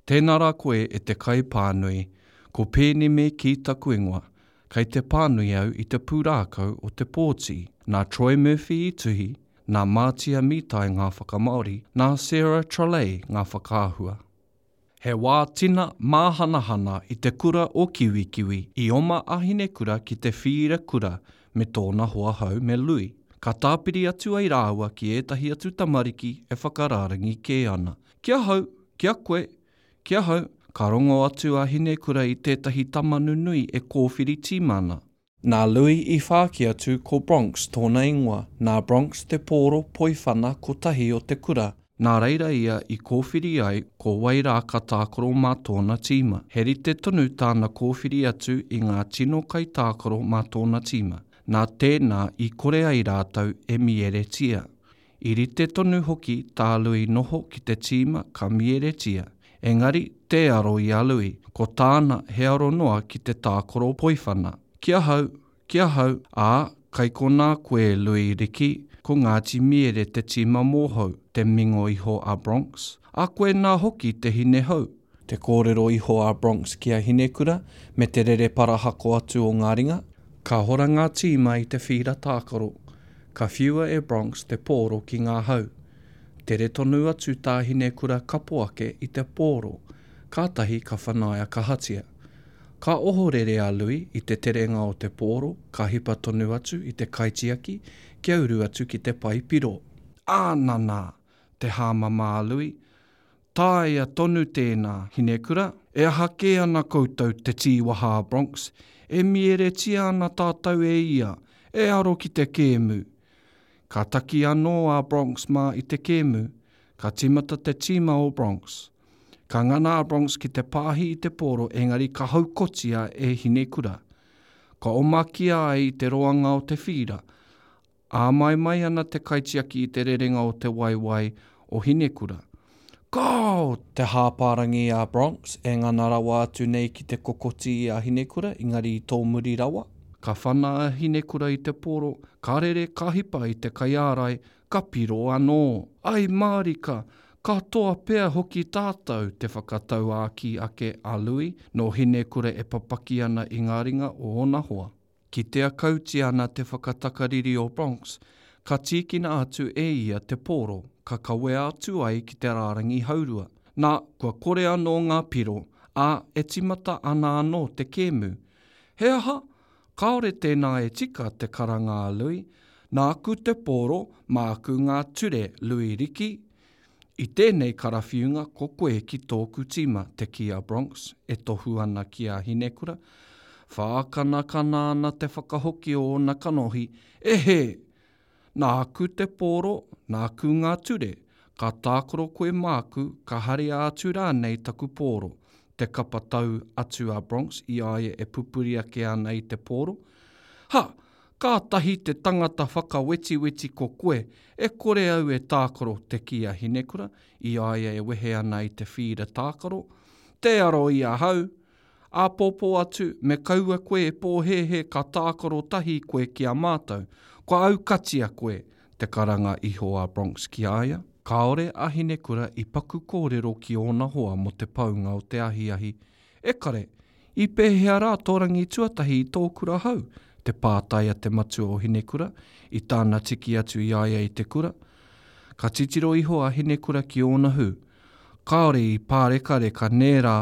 Tēnā rā koe e te kaipānui, ko Pēneme Kī taku ingoa, kei te pānui au i te pūrākau o Te Pōti, nā Troy Murphy i tuhi, nā Mātia Mītai ngā whakamāori, nā Sarah Trelay ngā whakaahua. He wā tina māhanahana i te kura o Kiwikiwi i oma a Hinekura ki te whīra kura me tōna hoa hou me Lui. Ka tāpiri atu ai rāua ki ētahi atu tamariki e whakarārangi kē ana. Ki ahau, ki a koe, ki ahau, ka rongo atu a Hinekura i tētahi tama nunui e kōwhiri tīma ana. Nā Lui i whāki atu ko Bronx tōna ingoa, nā Bronx te pōro poiwhana kotahi o te kura, nā reira ia i kōwhiri ai ko wai rā ka tākaro mā tōna tīma. He rite tonu tāna kōwhiri atu i ngā tino kaitākaro mā tōna tīma, nā tēnā i kore ai rātou e mieretia. I rite tonu hoki tā Lui noho ki te tīma ka mieretia, engari tē aro i a Lui, ko tāna he aro noa ki te tākaro poiwhana. Ki ahau, ki ahau, ā, kai konā koe Lui Riki, ko Ngāti Miere te tīma mōhou, te mingo iho a Bronx, a koe nā hoki te hine hou. Te kōrero iho a Bronx ki a Hinekura me te rere parahako atu o ngā ringa. Ka hora ngā tīma i te whīra tākaro, ka whiua e Bronx te pōro ki ngā hau. Tere tonu atu tā Hinekura kapo ake i te pōro, kātahi ka whanaia kahatia. Ka ohorere a Lui i te terenga o te pōro, ka hipa tonu atu i te kaitiaki kia uru atu ki te pae piro. Ā, nanā! Te hāmama a Lui, Taea tonu tēnā, Hinekura. E aha kē ana koutou te tīwaha a Bronx? E mieretia ana tātou e ia, e aro ki te kēmu. Ka taki anō a Bronx mā i te kēmu, ka tīmata te tīma o Bronx. Ka ngana a Bronx ki te pāhi i te pōro engari ka haukotia e Hinekura. Ka omakia ai i te roanga o te whīra, Āmaimai ana te kaitiaki i te rerenga o te waewae o Hinekura. Kāo! Te hāpārangi a Bronx e ngana rawa atu nei ki te kokoti i a Hinekura, engari i tōmuri rawa. Ka whana a Hinekura i te poro, ka rere ka hipa i te kaiārai, ka piro anō. Ai mārika! Ka toa pea hoki tātou, te whakatauākī ake a Lui, nō Hinekura e papaki ana i ngā ringa o ōna hoa. Kitea kautia ana te whakatakariri o Bronx, ka tīkina atu e ia te pōro, ka kawea atu ai ki te rārangi haurua. Nā, kua kore anō ngā piro, ā, e tīmata ana anō te kēmu. He aha? Kāore tēnā e tika, te karanga a Lui. Nāku te pōro, māku ngā ture, Lui Riki. I tēnei karawhiunga ko koe ki tōku tīma, te kī a Bronx, e tohu ana ki a Hinekura. Whākanakana ana te whakahoki o ōna kanohi, E hē! Nāku te pōro, nāku ngā ture, ka tākaro koe māku, ka haria atu rānei taku pōro, te kapa tau atu a Bronx i a ia e pupuri ake ana i te pōro. Ha! Kātahi te tangata whakawetiweti ko koe, e kore au e tākaro, te kī a Hinekura, i a ia e wehe ana i te whīra tākaro. Tē aro i ahau! Āpōpō atu, me kaua koe e pōhēhē ka tākaro tahi koe ki a mātou. Kua aukatia koe! te karanga iho a Bronx ki a ia. Kāore a Hinekura i paku kōrero ki ōna hoa mō te paunga o te ahiahi. E kare, I pēhea rā tō rangi tuatahi i tō kura hou? te pātai a te matua o Hinekura, i tāna tiki atu i a ia i te kura. Ka titiro iho a Hinekura ki ōna hū. Kāore i pārekareka nē rā,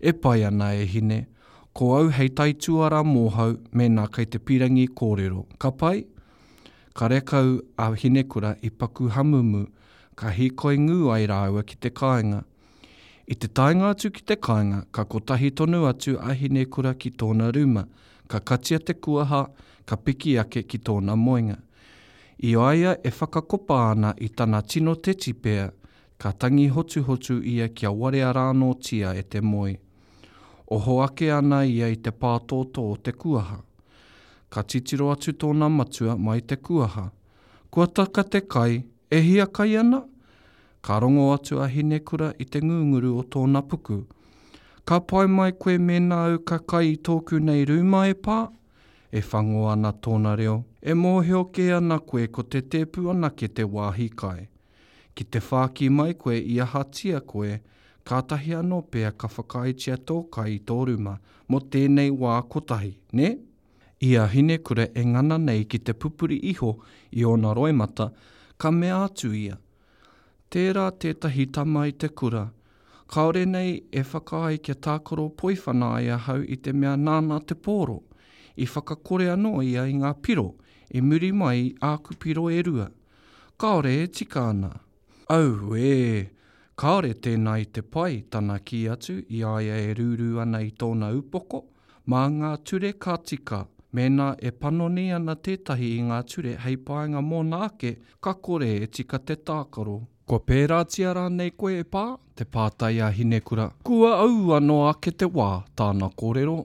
e pai ana e hine, ko au hei taituara mōhau mēnā kei te pirangi kōrero, ka pai? Karekau a Hinekura i paku hamumu, ka hīkoi ngū ai rāua ki te kāinga. I te taenga atu ki te kāinga, ka kotahi tonu atu a Hinekura ki tōna rūma, ka katia te kuaha, ka piki ake ki tōna moenga. I a ia e whakakopa ana i tana tino tetipea, ka tangi hotuhotu ia kia warea rānōtia e te moe. Oho ake ana ia i te pātōtō o te kuaha. Ka titiro atu tōna matua mai te kuaha. Kua taka te kai, e hiakai ana? Ka rongo atu a Hinekura i te ngunguru o tōna puku. Ka pai mai koe mēnā au ka kai i tōku nei rūma e pā? E whango ana tōna reo. E mōhio kē ana koe ko te tēpu anake te wāhi kai. Ki te whāki mai koe i ahatia koe, Kātahi anō pea ka whakaaetia tō kai i tō ruma mō tēnei wā kotahi, nē? I a Hinekura e ngana nei ki te pupuri iho i ōna roimata, ka mea atu ia, Tērā tētahi tama i te kura, kāore nei e whakaae kia tākaro poiwhana ai ahau i te mea nāna te pōro. I whakakore anō ia i ngā piro i muri mai i āku piro e rua. Kāore e tika ana. Auē! Kāore tēnā i te pai, tana kī atu i a ia e rūrū ana i tōna upoko. Mā ngā ture ka tika. Mēnā e panoni ana tētahi i ngā ture hei painga mōna ake, ka kore e tika te tākaro. Kua pērātia rānei koe e Pā? te pātai a Hinekura. Kua aua noa ake te wā, tāna kōrero.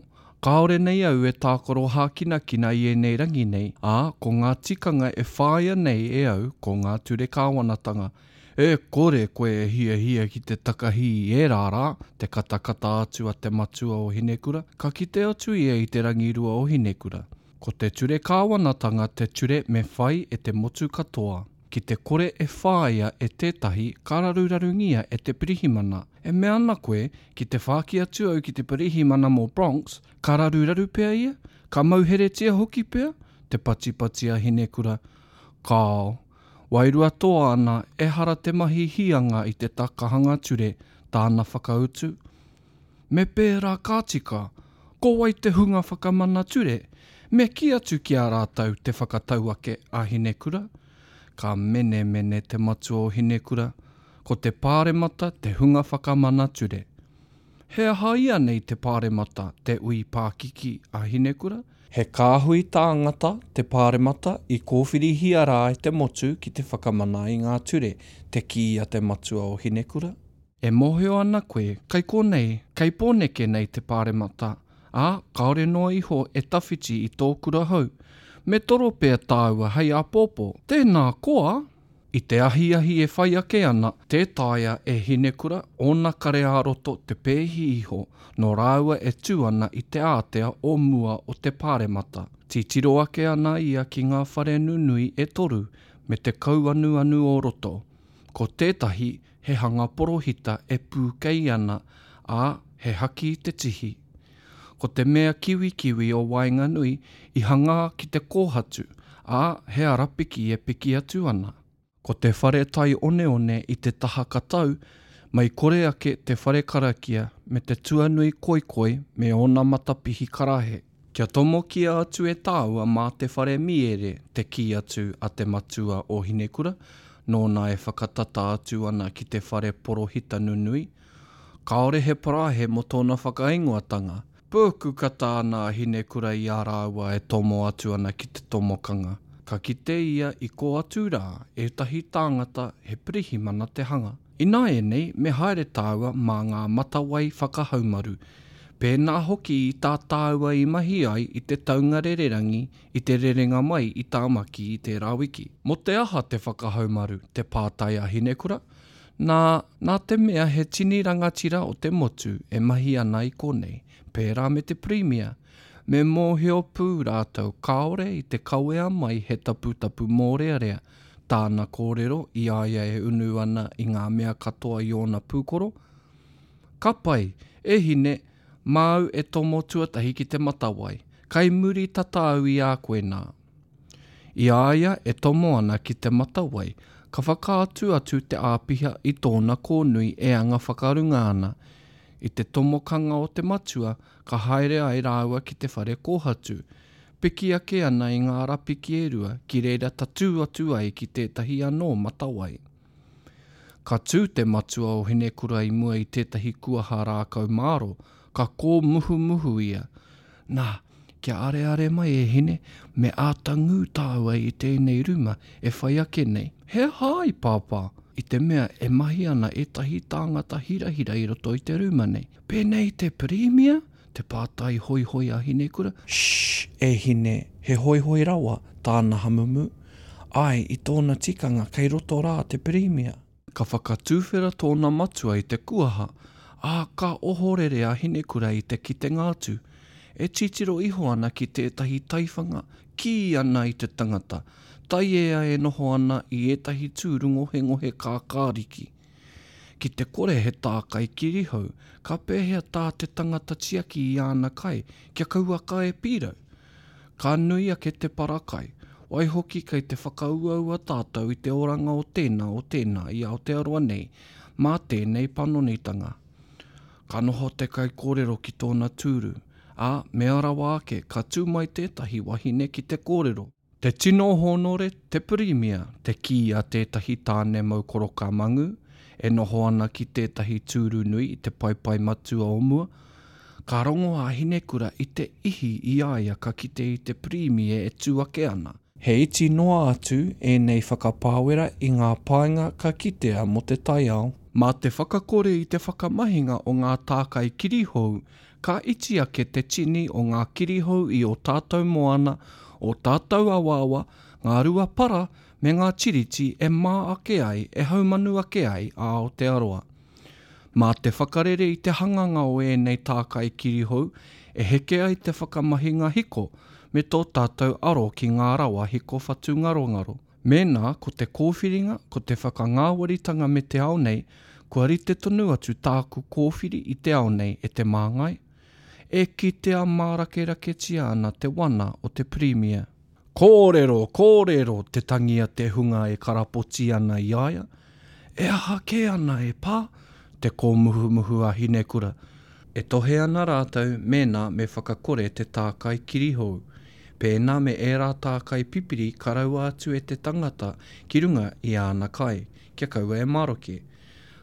Kāore nei au e tākaro hākinakina i ēnei rangi nei, ā, ko ngā tikanga e whāia nei e au ko ngā ture kāwanatanga. E kore koe e hiahia ki te takahi i ērā rā, te katakata atu a te matua o Hinekura, ka kite atu ia i te rangirua o Hinekura. Ko te ture kāwanatanga te ture me whai e te motu katoa. Ki te kore e whāia e tētahi, ka rarurarungia e te pirihimana. E mea ana koe, ki te whāki atu au ki te pirihimana mō Bronx, ka raruraru pea ia? Ka mauheretia hoki pea? Te patipati a Hinekura. Kāo. Wairua toa ana, ehara te mahi hīanga i te takahanga ture, tāna whakautu. Me pērā ka tika, ko wai te hunga whakamana ture? Me kī atu ki a rātou te whakatau ake a Hinekura. Ka menemene te matua o Hinekura, ko te Pāremata te hunga whakamana ture. He aha ianei te Pāremata, te ui pākiki a Hinekura? He kāhui tāngata te Pāremata i kōwhirihia rā e te motu ki te whakamana i ngā ture, te kī a te matua o Hinekura. E mōhio ana koe, kei konei, kei Pōneke nei te Pāremata, ā, kāore noa iho e tawhiti i tō kura hou. Me toro pea tāua hei āpōpō. Tēnā koa! I te ahiahi e whai ake ana, tē taea e Hinekura ōna kare ā-roto te pēhi iho nō rāua e tū ana i te ātea o mua o te Pāremata. Titiro ake ana ia ki ngā whare nunui e toru me te kauanuanu o roto. Ko tētahi he hanga porohita e pūkei ana, ā, he haki te tihi. Ko te mea kiwikiwi o waenganui i hangā ki te kōhatu, ā, he arapiki e piki atu ana. Ko te whare tai oneone i te taha katau, mei kore ake te whare karakia me te tuanui koikoi me ōna matapihi karahe. Kia tomokia atu e tāua mā te whare miere, te kī atu a te matua o Hinekura, nōna e whakatata atu ana ki te whare porohita nunui. Kāore he parahe mō tōna whakaingoatanga. Pūku kata ana a Hinekura i a rāua e tomo atu ana ki te tomokanga. Ka kite ia i kō atu rā ētahi tāngata he pirihimana te hanga. Ināianei me haere tāua mā ngā matawai whakahaumaru, pēnā hoki i tā tāua i mahi ai i te taunga rererangi i te rerenga mai i Tāmaki i tērā wiki. Mō te aha te whakahaumaru, te pātai a Hinekura? Nā, nā te mea he tini rangatira o te motu e mahi ana i konei, pērā me te Pirimia, me mōhio pū rātou kāore i te kawea mai he taputapu mōrearea, tāna kōrero i a ia e unu ana i ngā mea katoa i ōna pūkoro. Ka pai, e hine, māu e tomo tuatahi ki te matawai, kai muri tata au i a koe nā. I a ia e tomo ana ki te matawai, ka whakaatu atu te āpiha i tōna kōnui e anga whakarunga ana. I te tomokanga o te matua, ka haere ai rāua ki te whare kōhatu, Piki ake ana i ngā arapiki e rua ki reira tatū atu ai ki tētahi anō matawai. Ka tū te matua o Hinekura i mua i tētahi kuaha rākau māro, ka kōmuhumuhu ia, Nā, kia areare mai e hine, me āta ngū tāua i tēnei ruma e whai ake nei. He aha ai, Pāpā? I te mea e mahi ana ētahi tāngata hirahira i roto i te ruma nei. Pēnei te Pirimia? Te pātai hoihoi a Hinekura. Shh! E hine, he hoihoi rawa, tāna hamumu. Āe, i tōna tikanga kei roto rā te Pirimia. Ka whakatuwhera tōna matua i te kuaha, ā, ka ohorere a Hinekura i te kitenga atu. E titiro iho ana ki tētahi taiwhanga, kī ana i te tangata, taiea e noho ana i ētahi tūru ngohengohe kākāriki. Ki te kore he tākai kirihou, ka pēhea tā te tangata tiaki i āna kai kia kauaka e pīrau? Ka nui ake te para kai, waihoki kei te whakauaua tātou i te oranga o tēnā o tēnā i Aotearoa nei mā tēnei panonitanga. Ka noho te kaikōrero ki tōna tūru, ā, mea rawa ake ka tū mai tētahi wahine ki te kōrero. Te tino hōnore, te Pirimia, te kī a tētahi tāne mau koroka mangu, e noho ana ki tētahi tūru nui i te paepae matua o mua. Ka rongo a Hinekura i te ihi i a ia ka kite i te Pirimia e tū ake ana. He iti noa atu ēnei whakapāwera i ngā painga ka kitea mō te taiao. Mā te whakakore i te whakamahinga o ngā tākai kirihou Ka iti ake te tini o ngā kirihou i ō tātou moana, ō tātou awaawa, ngā rua para me ngā tiriti e mā ake ai, e haumanu ake ai a Aotearoa. Mā te whakarere i te hanganga o ēnei tākai kirihou e heke ai te whakamahinga hiko me tō tātou aro ki ngā rawa hiko whatungarongaro. Mēnā ko te kōwhiringa, ko te whakangāwaritanga me te ao nei, kua rite tonu atu tāku kōwhiri i te ao nei e te māngai. E kitea mārakeraketia ana te wana o te Pirimia. Kōrero, kōrero! te tangi a te hunga e karapoti ana i a ia. E aha kē ana e pā? te kōmuhumuhu a Hinekura. E tohe ana rātou mēnā me whakakore te tākai kirihou, pēnā me ērā tākai pipiri ka raua atu e te tangata ki runga i āna kai, kia kaua e maroke.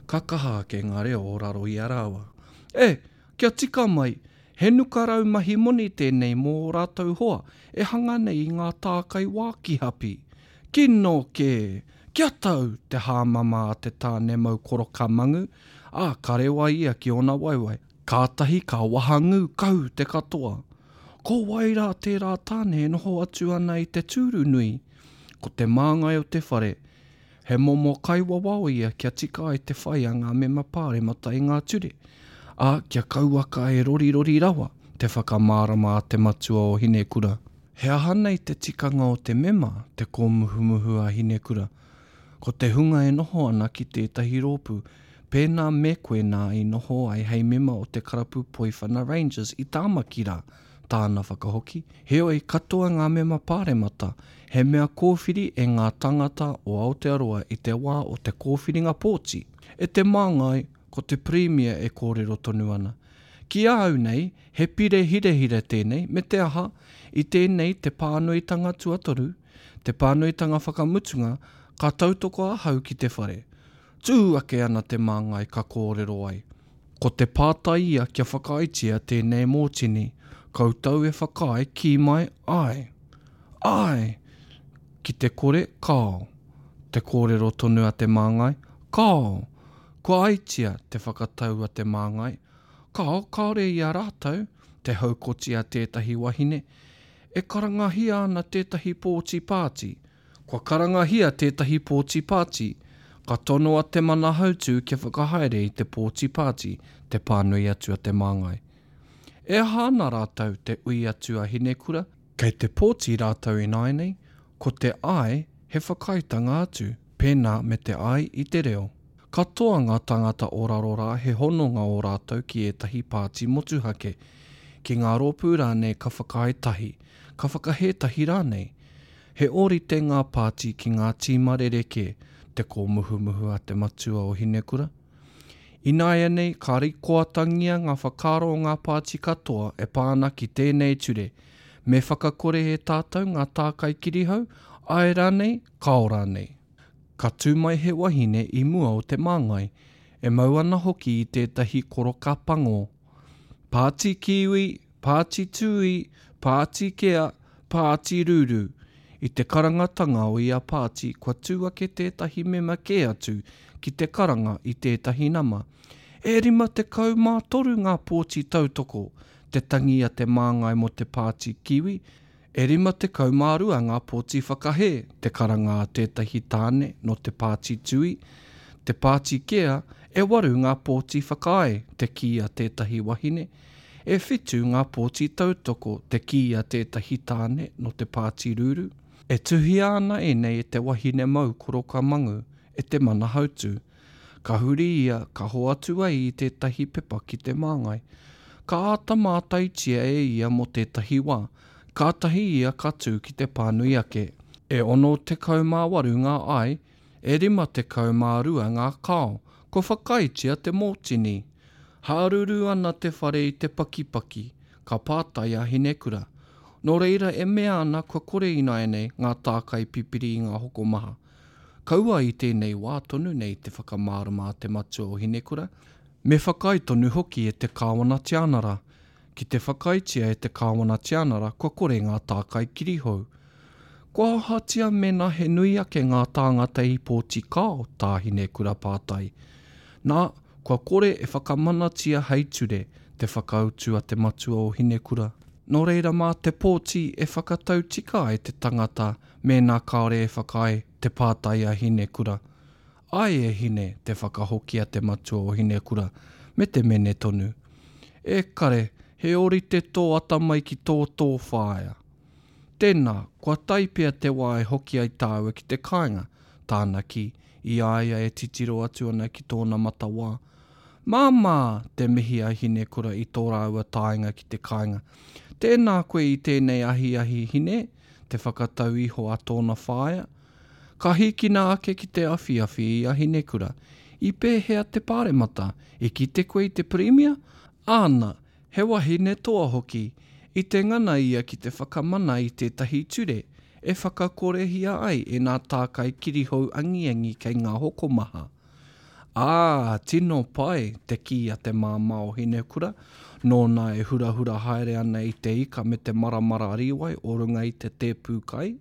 Ka kaha ake ngā reo o raro i a rāua. E! Kia tika mai! He nukarau mahi moni tēnei mō ō rātou hoa e hanga nei i ngā tākai wākihapi. Kino kē! Kia tau! te hāmama a te tāne mau koroka mangu, ā, ka rewa ia ki ōna waewae. Kātahi ka wahangū kau te katoa. Ko wai rā tērā tāne e noho atu ana i te tūru nui? Ko te māngai o te whare. He momo kaiwawao ia kia tika ai te whai a ngā mema pāremata i ngā ture, ā, kia kauaka e rorirori rawa te whakamārama a te matua o Hinekura. He aha nei te tikanga o te mema, te kōmuhumuhu a Hinekura? Ko te hunga e noho ana ki tētahi rōpū, pēnā me koe nā i noho ai hei mema o te karapu Poiwhana Rangers i Tāmaki rā, tāna whakahoki. Heoi, katoa ngā mema pāremata, he mea kōwhiri e ngā tāngata o Aotearoa i te wā o te kōwhiringa pōti. E te māngai, ko te Pirimia e kōrero tonu ana. Ki a au nei, he pire hirahira tēnei, me te aha, i tēnei te pānuitanga tuatoru, te pānuitanga whakamutunga, ka tautoko ahau ki te whare. Tū ake ana te māngai ka kōrero ai. Ko te pātai ia kia whakaaetia tēnei mōtini, koutou e whakaae kī mai āe. Āe! Ki te kore, kāo. Te kōrero tonu a te māngai, Kāo! Kua aitia te whakatau a te māngai, Kāo, kāore i a rātou, te haukoti a tētahi wahine. E karangahia ana tētahi pōti pāti. Kua karangahia tētahi pōti pāti. Ka tonoa te Manahautū kia whakahaere i te pōti pāti, te pānui atu a te māngai. E aha ana rātou, te ui atu a Hinekura? Kei te pōti rātou ināianei, ko te āe he whakaaetanga atu, pēnā me te āe i te reo. Katoa ngā tāngata o raro rā he hononga ō rātou ki ētahi pāti motuhake, ki ngā rōpū rānei ka whakaae tahi, ka whakahē tahi rānei. He ōrite ngā pāti ki ngā tīma rerekē, te kōmuhumuhu a te matua o Hinekura. Ināianei ka rikoatangia ngā whakaaro o ngā pāti katoa e pā ana ki tēnei ture, me whakakore e tātou ngā tākai kirihou, āe rānei, kāo rānei. Ka tū mai he wahine i mua o te māngai, e mau ana hoki i tētahi koroka pango. Pāti Kiwi, Pāti Tūī, Pāti Kea, Pāti Ruru. I te karangatanga o ia pāti kua tū ake tētahi mema kē atu ki te karanga i tētahi nama. E 53 ngā pōti tautoko, te tangi a te māngai mō te Pāti Kiwi, E 52 ngā pōti whakahē, te karanga a tētahi tāne nō te Pāti Tui, te Pāti Kea, e waru ngā pōti whakaae, te kī a tētahi wahine, e whitu ngā pōti tautoko, te kī a tētahi tāne nō te Pāti Ruru. E tuhia ana ēnei e te wahine mau koroka mangu, e te Manahautū. Ka huri ia, ka hoatu ai i tētahi pepa ki te māngai. Ka āta mātaitia e ia mō tētahi wā, kātahi ia ka tū ki te pānui ake. E 68 ngā āe, e 52 ngā kāo, kua whakaaetia te mōtini. Hāruru ana te whare i te pakipaki, ka pātai a Hinekura. Nō reira e mea ana kua kore ināianei ngā tākai pipiri i ngā hokomaha. Kaua i tēnei wā tonu nei te whakamārama a te matua o Hinekura, me whakaae tonu hoki e te Kāwana Tianara. Ki te whakaaetia e te Kāwana Tianara kua kore ngā tākai kirihou. Kua ahatia mēnā he nui ake ngā tāngata i pōti kao, tā Hinekura pātai. Nā, kua kore e whakamanatia hei ture, te whakautu a te matua o Hinekura. Nō reira mā te pōti e whakatau tika ai te tangata mēnā kāore e whakaae, te pātai a Hinekura. Āe e hine, te whakahoki a te matua o Hinekura, me te mene tonu. E kare, he ōrite tō atamai ki tō tō whaea. Tēnā, kua tae pea te wā e hoki ai tāua ki te kāinga, tāna kī, i a ia e titiro atu ana ki tōna matawā. Māmā! te mihi a Hinekura i tō rāua taenga ki te kāinga. Tēnā koe i tēnei ahiahi, Hine, te whakatau iho a tōna whaea. Ka hīkina ake ki te awhiawhi i a Hinekura. I pēhea te pāremata? I kite koe i te Pirimia? Āna, he wahine toa hoki. I te ngana ia ki te whakamana i tētahi ture e whakakorehia ai ēnā tākai kirihou angiangi kei ngā hokomaha. Ā, tino pai, te kī a te māmā o Hinekura, nōna e hurahura haere ana i te ika me te maramara rīwai o runga i te tēpū kai.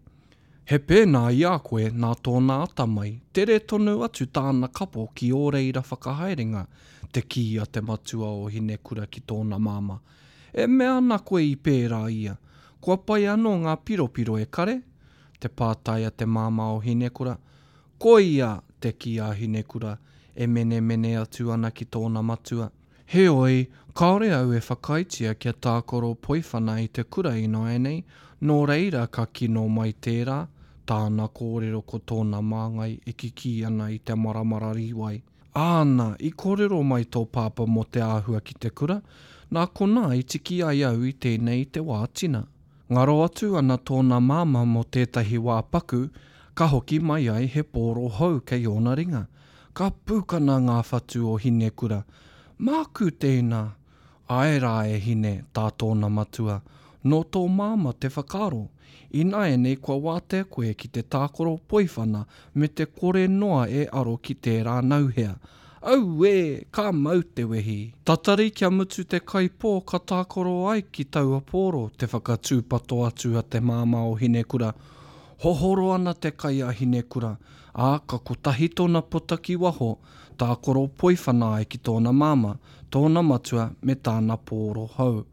He pēnā i a koe nā tōna atamai, tere tonu atu tāna kapo ki ō reira whakahaerenga, te kī a te matua o Hinekura ki tōna māmā. E mea ana koe i pērā ia? Kua pai anō ngā piropiro e kare? Te pātai a te māmā o Hinekura. Koia! te kī a Hinekura, e menemene atu ana ki tōna matua. Heoi, kāore au e whakaaetia kia tākaro poiwhana i te kura ināianei, nō reira ka kino mai tērā, tāna kōrero ko tōna māngai e kikī ana i te maramara rīwai. Āna, i kōrero mai tō pāpā mō te āhua ki te kura, nā konā i tiki ai au i tēnei i te wā tina. Ngaro atu ana tōna māmā mō tētahi wā paku, ka hoki mai ai he pōro hou kei ōna ringa. Ka pūkana ngā whatu o Hinekura. Māku tēnā! Āe rā e Hine, tā tōna matua, nō tō māmā te whakaaro. Ināianei kua wātea koe ki te tākaro poiwhana me te kore noa e aro ki tērā nauhea. Auē! Ka mau te wehi! Tatari kia mutu te kai pō ka tākaro ai ki taua pōro, te whakatūpato atu a te māmā o Hinekura. Hohoro ana te kai a Hinekura, ā, ka kotahi tōna pota ki waho, tākaro poiwhana ai ki tōna māmā, tōna matua me tāna pōro hou.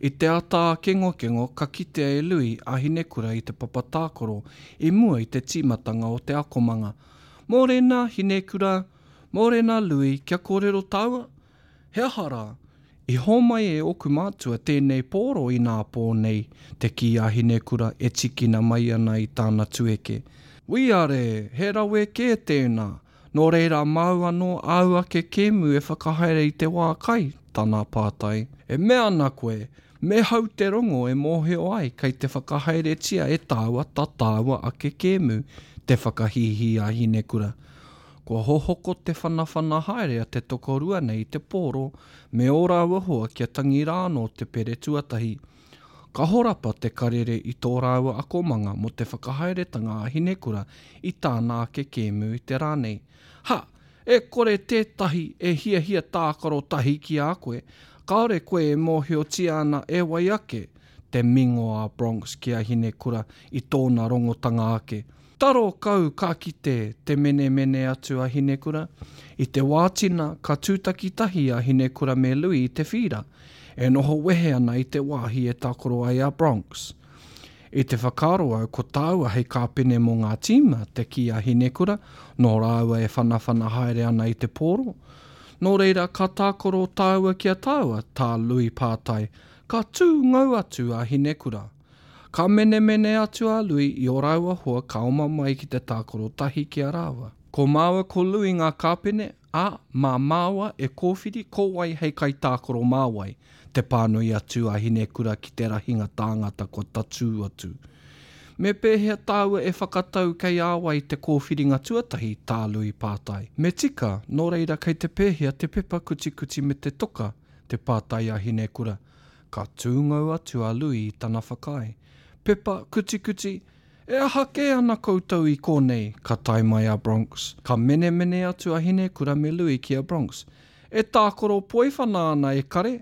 I te ata ākengokengo ka kitea e Lui a Hinekura i te papa tākaro i mua i te tīmatanga o te akomanga. Mōrena, Hinekura! Mōrena, Lui, kia kōrero tāua? He aha rā? I hōmai e ōku mātua tēnei pōro inā pō nei, te kī a Hinekura e tīkina mai ana i tāna tueke. Wīare! He rawe kē tēnā! Nō reira māu anō āu ake kēmu e whakahaere i te wā kai? tana pātai. E mea ana koe, me hau te rongo e mōhio ai kei te whakahaeretia e tāua tā tāua ake kēmu, te whakahīhī a Hinekura. Kua hohoko te whanawhana haere a te tokorua nei i te pōro me ō rāua hoa kia tangi rā anō te pere tuatahi. Ka horapa te karere i tō rāua akomanga mō te whakahaeretanga a Hinekura i tāna ake kēmu i te rā nei. Ha! E kore tētahi e hiahia tākaro tahi ki a koe, kāore koe e mōhiotia ana e wai ake, te mingo a Bronx ki a Hinekura i tōna rongotanga ake. Taro kau ka kite te menemene atu a Hinekura. I te wā tina, ka tūtaki tahi a Hinekura me Lui i te whīra, e noho wehe ana i te wāhi e tākaro ai a Bronx. I te whakaaro au ko tāua hei kāpene mō ngā tīma, te kī a Hinekura, nō rāua e whanawhana haere ana i te pōro. Nō reira, ka tākaro tāua ki a tāua, tā Lui pātai. Ka tū ngau atu a Hinekura. Ka menemene atu a Lui i ō rāua hoa ka oma mai ki te tākaro tahi ki a rāua. Ko māua ko Lui ngā kāpene, Ā, mā māua e kōwhiri ko wai hei kaitākaro mā wai, te pānui atu a Hinekura ki te rahinga tāngata kua tatū atu. Me pēhea tāua e whakatau kei a wai te kōwhiringa tuatahi, tā Lui pātai. Me tika, nō reira kei te pēhea te pepa kutikuti me te toka, te pātai a Hinekura. Ka tūngou atu a Lui i tana whakaae. Pepa kutikuti, E aha kē ana koutou i kōnei? Ka tae mai a Bronx. Ka menemene atu a Hinekura me Lui ki a Bronx. E tākaro poiwhana ana e kare!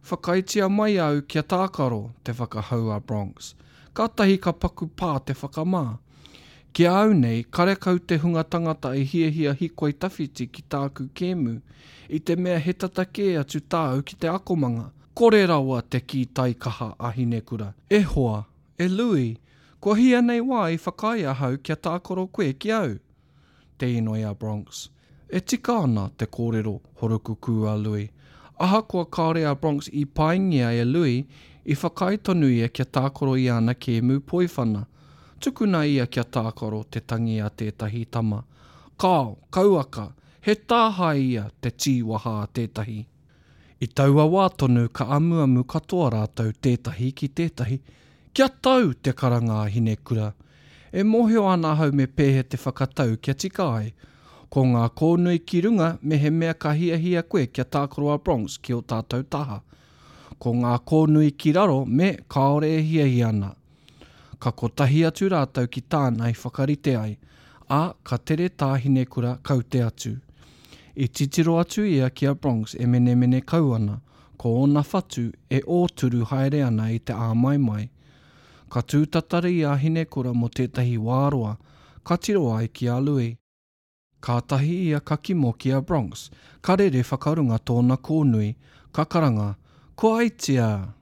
Whakaaetia mai au kia tākaro, te whakahau a Bronx. Kātahi ka paku pā te whakamā. Ki a au nei, karekau te hunga tangata e hiahia hikoi tawhiti ki tāku kēmu, i te mea he tata kē atu tāu ki te akomanga. Kore rawa te kī taikaha a Hinekura. E hoa, E Louis, kua hia nei wā i whakaae ahau kia tākaro koe ki au? Te inoi a Bronx. E tika ana te kōrero horokukū a Louis. Ahakoa kāore a Bronx i paingia e Louis, i whakaae tonu ia kia tākaro i ana kēmu poiwhana. Tukuna ia kia tākaro, te tangi a tētahi tama. Kāo, kauaka, he tāhae ia, te tīwaha a tētahi. I taua wā tonu ka amuamu katoa rātou tētahi ki tētahi, Kia tau! te karanga a Hinekura. E mōhio ana ahau me pēhea te whakatau kia tika ai. Ko ngā kōnui ki runga mehemea ka hiahia koe kia tākaro a Bronx ki ō tātou taha. Ko ngā kōnui ki raro me kāore e hiahia ana. Ka kotahi atu rātou ki tāna i whakarite ai, ā, ka tere tā Hinekura kaute atu. I titiro atu ia ki a Bronx e menemene kau ana, ko ōna whatu e ōturu haere ana i te āmaimai. Ka tūtatari a Hinekura mō tētahi wā roa, ka tiro ai ki a Lui. Kātahi ia ka kimo ki a Bronx, ka rere whakarunga tōna kōnui, ka karanga, Ko Aitia!